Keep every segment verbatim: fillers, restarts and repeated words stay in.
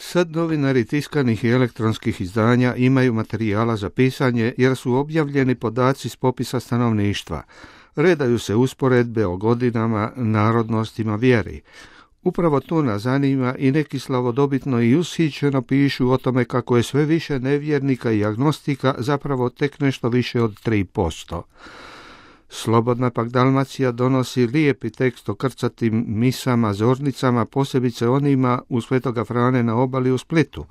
Sad novinari tiskanih i elektronskih izdanja imaju materijala za pisanje jer su objavljeni podaci s popisa stanovništva. Redaju se usporedbe o godinama, narodnostima, vjeri. Upravo to nas zanima i neki slavodobitno i ushićeno pišu o tome kako je sve više nevjernika i agnostika, zapravo tek nešto više od tri posto. Slobodna pak Dalmacija donosi lijepi tekst o krcatim misama, zornicama, posebice onima u Svetoga Frane na obali u Splitu.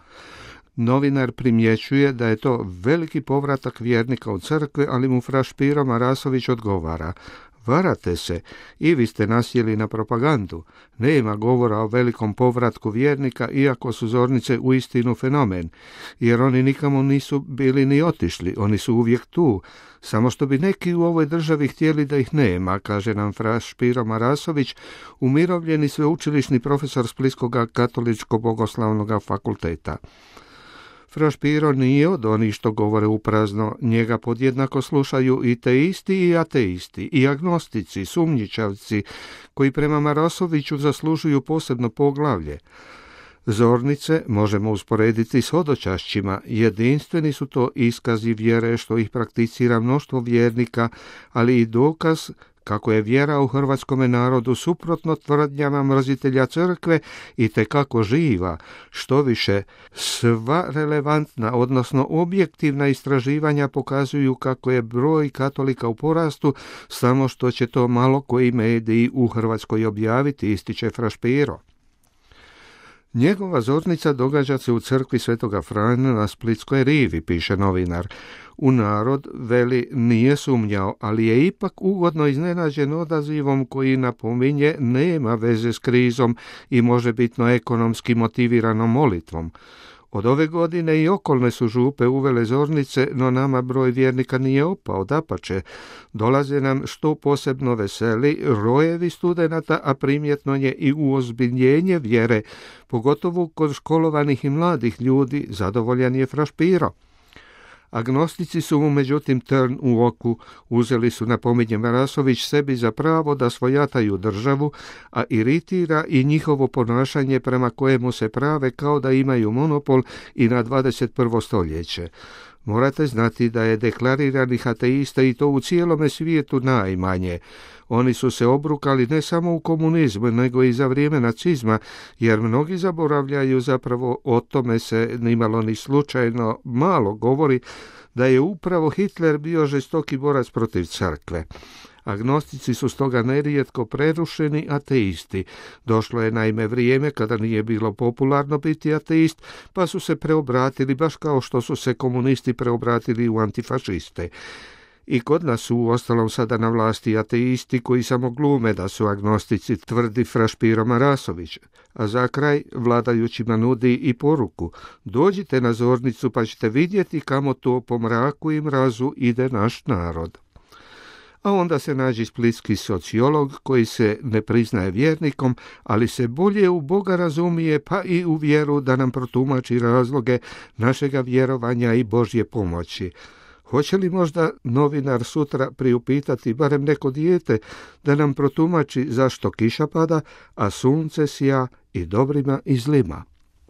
Novinar primjećuje da je to veliki povratak vjernika u crkve, ali mu fra Špiro Marasović odgovara: varate se, i vi ste nasjeli na propagandu. Nema govora o velikom povratku vjernika, iako su zornice uistinu fenomen, jer oni nikamo nisu bili ni otišli, oni su uvijek tu, samo što bi neki u ovoj državi htjeli da ih nema, kaže nam fra Špiro Marasović, umirovljeni sveučilišni profesor Splitskog katoličko-bogoslavnog fakulteta. Fra Špiro nije od onih što govore uprazno, njega podjednako slušaju i teisti i ateisti, i agnostici, sumnjičavci, koji prema Marasoviću zaslužuju posebno poglavlje. Zornice možemo usporediti s hodočašćima, jedinstveni su to iskazi vjere što ih prakticira mnoštvo vjernika, ali i dokaz kako je vjera u hrvatskome narodu suprotno tvrdnjama mrzitelja crkve i tekako živa. Što više, sva relevantna, odnosno objektivna istraživanja pokazuju kako je broj katolika u porastu, samo što će to malo koji mediji u Hrvatskoj objaviti, ističe fra Špiro. Njegova zornica događa se u crkvi Svetoga Frana na Splitskoj rivi, piše novinar. U narod, veli, nije sumnjao, ali je ipak ugodno iznenađen odazivom koji napominje nema veze s krizom i možebitno ekonomski motiviranom molitvom. Od ove godine i okolne su župe uvele zornice, no nama broj vjernika nije opao, dapače. Dolaze nam, što posebno veseli, rojevi studenata, a primjetno je i uozbiljenje vjere, pogotovo kod školovanih i mladih ljudi, zadovoljan je fra Špiro. Agnostici su mu međutim trn u oku, uzeli su, napominje Marasović, sebi za pravo da svojataju državu, a iritira i njihovo ponašanje prema kojemu se prave kao da imaju monopol i na dvadeset prvo stoljeće. Morate znati da je deklariranih ateista i to u cijelome svijetu najmanje. Oni su se obrukali ne samo u komunizmu, nego i za vrijeme nacizma, jer mnogi zaboravljaju, zapravo o tome se nimalo ni slučajno malo govori, da je upravo Hitler bio žestoki borac protiv crkve. Agnostici su stoga nerijetko prerušeni ateisti. Došlo je naime vrijeme kada nije bilo popularno biti ateist, pa su se preobratili baš kao što su se komunisti preobratili u antifašiste. I kod nas su uostalom sada na vlasti ateisti koji samo glume da su agnostici, tvrdi fra Špiro Marasović. A za kraj vladajućima nudi i poruku: dođite na zornicu pa ćete vidjeti kamo to po mraku i mrazu ide naš narod. A onda se nađe splitski sociolog koji se ne priznaje vjernikom, ali se bolje u Boga razumije, pa i u vjeru, da nam protumači razloge našega vjerovanja i Božje pomoći. Hoće li možda novinar sutra priupitati barem neko dijete da nam protumači zašto kiša pada, a sunce sija i dobrima i zlima?